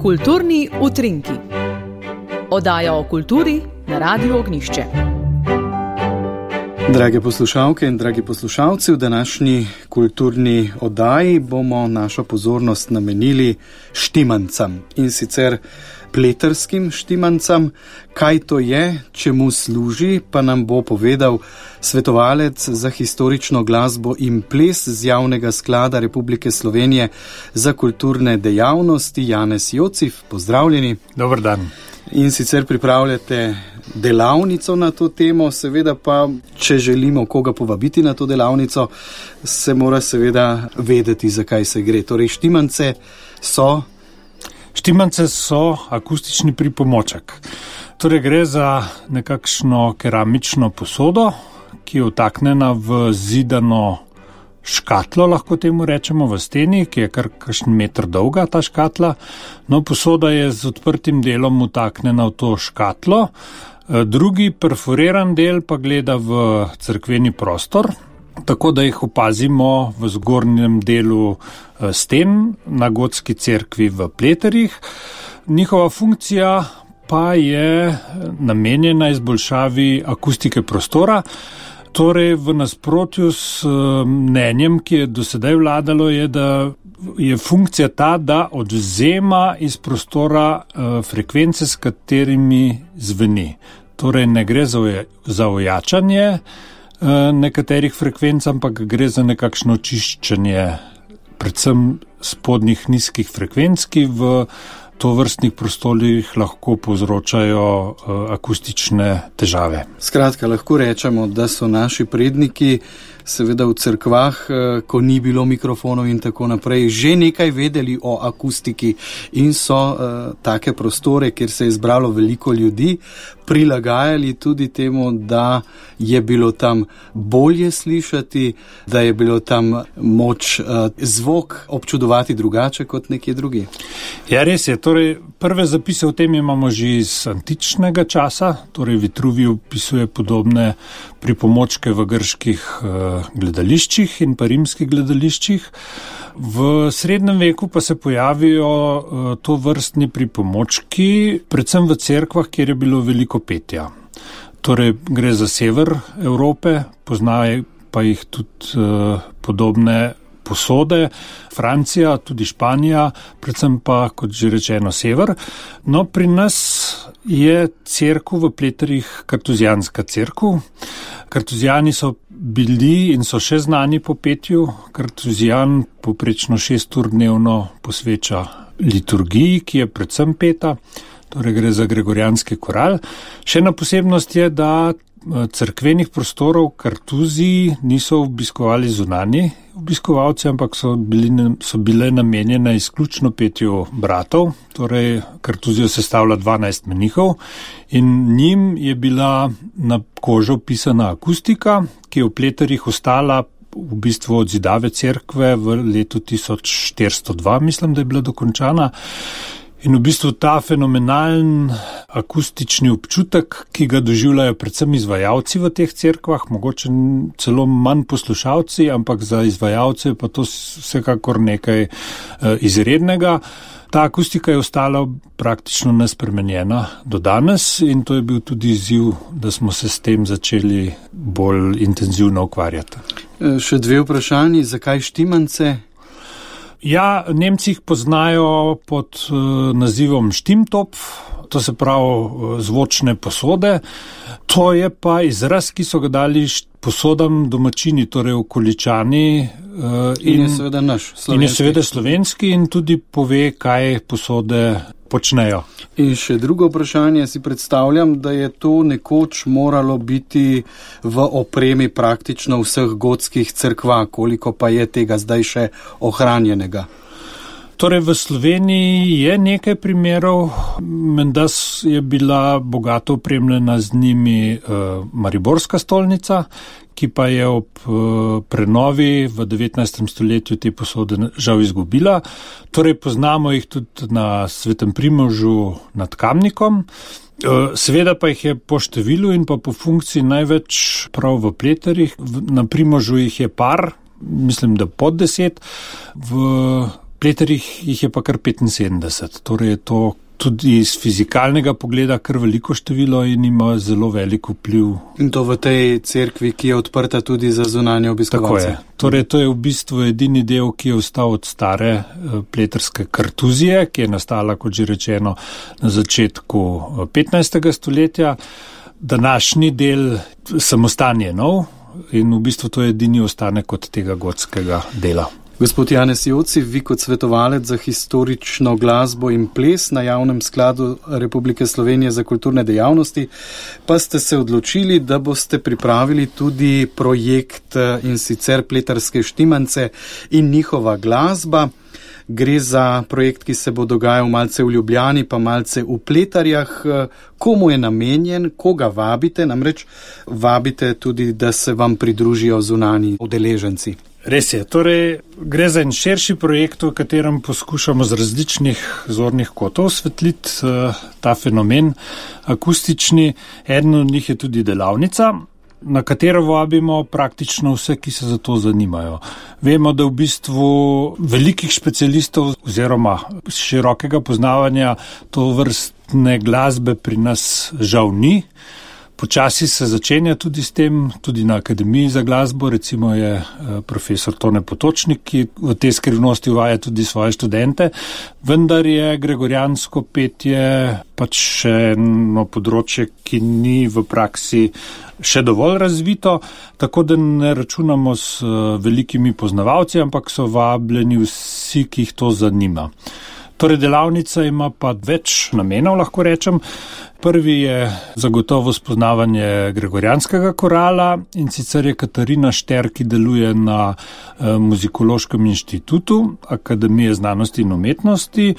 Kulturni utrinki. Oddaja o kulturi na Radiu Ognjišče. Drage poslušalke in dragi poslušalci, v današnji kulturni oddaji bomo našo pozornost namenili štimancam, in sicer pleterskim štimancam. Kaj to je, čemu služi, pa nam bo povedal svetovalec za historično glasbo in ples z Javnega sklada Republike Slovenije za kulturne dejavnosti, Janez Jocif. Pozdravljeni. Dober dan. In sicer pripravljate delavnico na to temo, seveda pa, če želimo koga povabiti na to delavnico, se mora seveda vedeti, zakaj se gre. Torej, štimance so akustični pripomoček. Torej, gre za nekakšno keramično posodo, ki je vtaknjena v zidano škatlo, lahko temu rečemo, v steni, ki je kar kakšen meter dolga ta škatla. No, posoda je z odprtim delom vtaknjena v to škatlo. Drugi perforiran del pa gleda v cerkveni prostor, tako da jih opazimo v zgornjem delu sten na gotski cerkvi v Pleterjih. Njihova funkcija pa je namenjena izboljšavi akustike prostora. Torej, v nasprotju s mnenjem, ki je do sedaj vladalo, je, da je funkcija ta, da odvzema iz prostora frekvence, s katerimi zveni. Torej, ne gre za ojačanje nekaterih frekvenc, ampak gre za nekakšno očiščenje predvsem spodnjih nizkih frekvenc, ki v tovrstnih prostorih lahko povzročajo akustične težave. Skratka, lahko rečemo, da so naši predniki seveda v cerkvah, ko ni bilo mikrofonov in tako naprej, že nekaj vedeli o akustiki in so take prostore, kjer se je zbralo veliko ljudi, prilagajali tudi temu, da je bilo tam bolje slišati, da je bilo tam moč zvok občudovati drugače kot nekje drugi. Ja, res je. Torej, prve zapise o tem imamo že iz antičnega časa, torej Vitruvij opisuje podobne pripomočke v grških gledališčih in pa rimskih gledališčih. V srednjem veku pa se pojavijo tovrstni pripomočki, predvsem v cerkvah, kjer je bilo veliko petja. Torej, gre za sever Evrope, poznajo pa jih tudi podobne posode, Francija, tudi Španija, predvsem pa, kot že rečeno, sever. No, pri nas je cerkev v Pleterjih kartuzijanska cerkev. Kartuzijani so bili in so še znani po petju. Kartuzijan poprečno 6 ur dnevno posveča liturgiji, ki je predvsem peta, torej gre za gregorijanski koral. Še ena posebnost je, da cerkvenih prostorov Kartuziji niso obiskovali zunanji obiskovalci, ampak so bile namenjene izključno petju bratov. Torej, Kartuzijo sestavlja 12 menihov in njim je bila na kožo pisana akustika, ki je v Pleterjih ostala v bistvu od zidave cerkve v letu 1402, mislim, da je bila dokončana. In v bistvu ta fenomenalen akustični občutek, ki ga doživljajo predvsem izvajalci v teh cerkvah, mogoče celo manj poslušalci, ampak za izvajalce pa to vsekakor nekaj izrednega. Ta akustika je ostala praktično nespremenjena do danes in to je bil tudi izziv, da smo se s tem začeli bolj intenzivno ukvarjati. Še dve vprašanji, zakaj štimance? Ja, Nemci jih poznajo pod nazivom Stimmtopf, to se pravi zvočne posode. To je pa izraz, ki so ga dali posodam domačini, torej okoličani. In je seveda naš, slovenski. In je seveda slovenski in tudi pove, kaj posode počnejo. In še drugo vprašanje, si predstavljam, da je to nekoč moralo biti v opremi praktično vseh gotskih cerkva, koliko pa je tega zdaj še ohranjenega? Torej, v Sloveniji je nekaj primerov, menda je bila bogato opremljena z njimi Mariborska stolnica, ki pa je ob prenovi v 19. stoletju te posode žal izgubila. Torej, poznamo jih tudi na Svetem Primožu nad Kamnikom. Seveda pa jih je po številu in pa po funkciji največ prav v Pleterjih. Na Primožu jih je par, mislim, da pod 10, v pleterjih jih je pa kar 75, torej je to tudi iz fizikalnega pogleda kar veliko število in ima zelo velik vpliv. In to v tej cerkvi, ki je odprta tudi za zunanje obiskovalce. Tako je. Torej, to je v bistvu edini del, ki je ostal od stare pleterske kartuzije, ki je nastala, kot že rečeno, na začetku 15. stoletja. Današnji del samostan je nov in v bistvu to je edini ostanek od tega gotskega dela. Gospod Janez Joci, vi kot svetovalec za historično glasbo in ples na Javnem skladu Republike Slovenije za kulturne dejavnosti, pa ste se odločili, da boste pripravili tudi projekt, in sicer Pleterske štimance in njihova glasba. Gre za projekt, ki se bo dogajal malce v Ljubljani, pa malce v Pleterjah. Komu je namenjen, koga vabite? Namreč vabite tudi, da se vam pridružijo zunanji udeleženci. Res je, torej gre za en širši projekt, v katerem poskušamo z različnih zornih kotov osvetliti ta fenomen akustični. Eden od njih je tudi delavnica, na katero vabimo praktično vse, ki se za to zanimajo. Vemo, da v bistvu velikih specialistov oziroma širokega poznavanja to vrstne glasbe pri nas žal ni. Počasi se začenja tudi s tem, tudi na Akademiji za glasbo, recimo je profesor Tone Potočnik, ki v tej skrivnosti uvaja tudi svoje študente, vendar je gregorijansko petje pač še eno področje, ki ni v praksi še dovolj razvito, tako da ne računamo s velikimi poznavalci, ampak so vabljeni vsi, ki jih to zanima. Torej, delavnica ima pa več namenov, lahko rečem. Prvi je zagotovo spoznavanje gregorijanskega korala, in sicer je Katarina Šter, ki deluje na Muzikološkem inštitutu Akademije znanosti in umetnosti,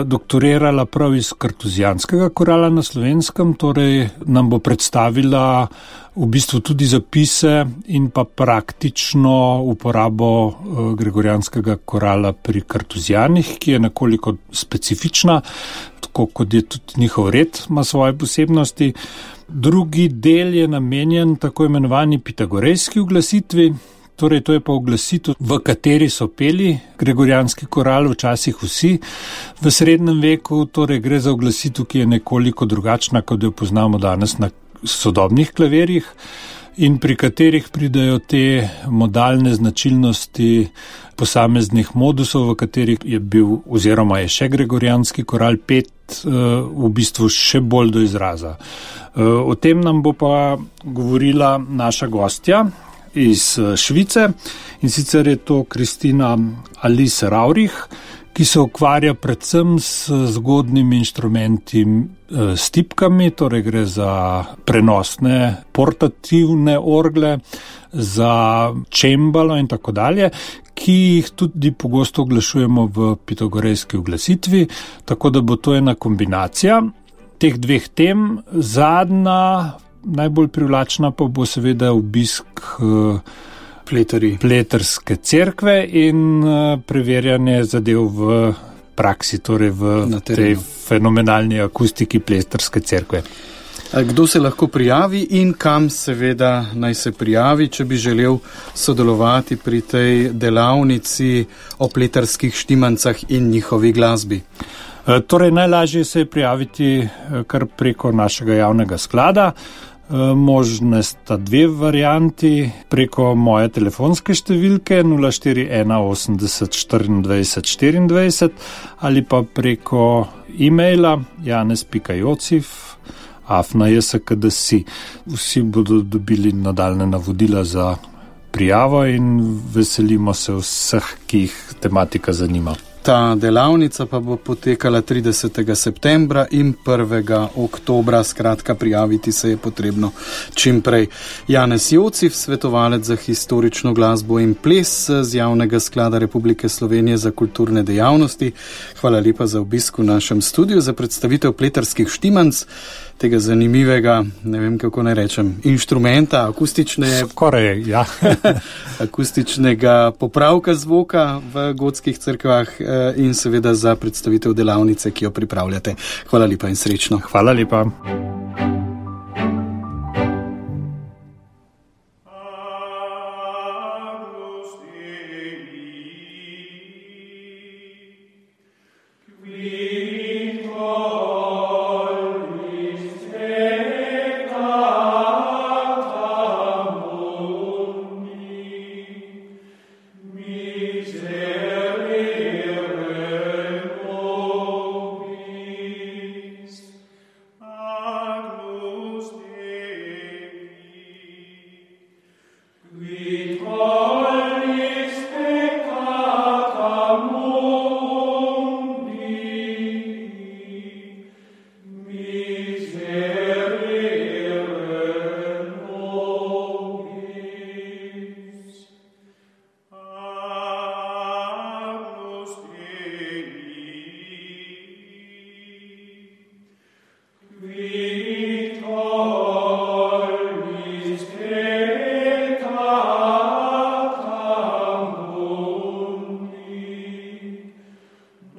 doktorirala prav iz kartuzijanskega korala na Slovenskem, torej nam bo predstavila v bistvu tudi zapise in pa praktično uporabo gregorijanskega korala pri kartuzijanih, ki je nekoliko specifična, tako kot je tudi njihov red, ima svoje posebnosti. Drugi del je namenjen tako imenovani pitagorejski uglasitvi, torej to je pa uglasitev, v kateri so peli gregorijanski koral, včasih vsi v srednjem veku, torej gre za uglasitev, ki je nekoliko drugačna, kot jo poznamo danes na sodobnih klavirjih in pri katerih pridajo te modalne značilnosti posameznih modusov, v katerih je bil oziroma je še gregorijanski koral pet v bistvu še bolj do izraza. O tem nam bo pa govorila naša gostja iz Švice, in sicer je to Kristina Alice Raurich, ki se ukvarja predvsem s zgodnimi inštrumenti s tipkami, torej gre za prenosne portativne orgle, za čembalo in tako dalje, ki jih tudi pogosto oglašujemo v pitagorejski uglasitvi, tako da bo to ena kombinacija teh dveh tem. Zadnja, najbolj privlačna pa bo seveda obisk pleterske cerkve in preverjanje zadev v praksi, torej v tej fenomenalni akustiki pleterske cerkve. Kdo se lahko prijavi in kam seveda naj se prijavi, če bi želel sodelovati pri tej delavnici o pleterskih štimancah in njihovi glasbi? Torej, najlažje se je prijaviti kar preko našega javnega sklada. Možne sta dve varianti, preko moje telefonske številke 041 80 24 24 ali pa preko e-maila janez.jociv@jskd.si. Vsi bodo dobili nadaljne navodila za prijavo in veselimo se vseh, ki jih tematika zanima. Ta delavnica pa bo potekala 30. septembra in 1. oktobra, skratka prijaviti se je potrebno čim prej. Janez Jociv, svetovalec za historično glasbo in ples z Javnega sklada Republike Slovenije za kulturne dejavnosti. Hvala lepa za obisk v našem studiu, za predstavitev pleterskih štimanc, tega zanimivega, ne vem kako naj rečem, inštrumenta, akustičnega popravka zvoka v gotskih cerkvah in seveda za predstavitev delavnice, ki jo pripravljate. Hvala lepa in srečno. Hvala lepa.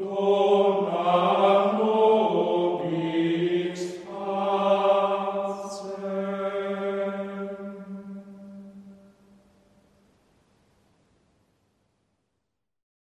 Dona nobis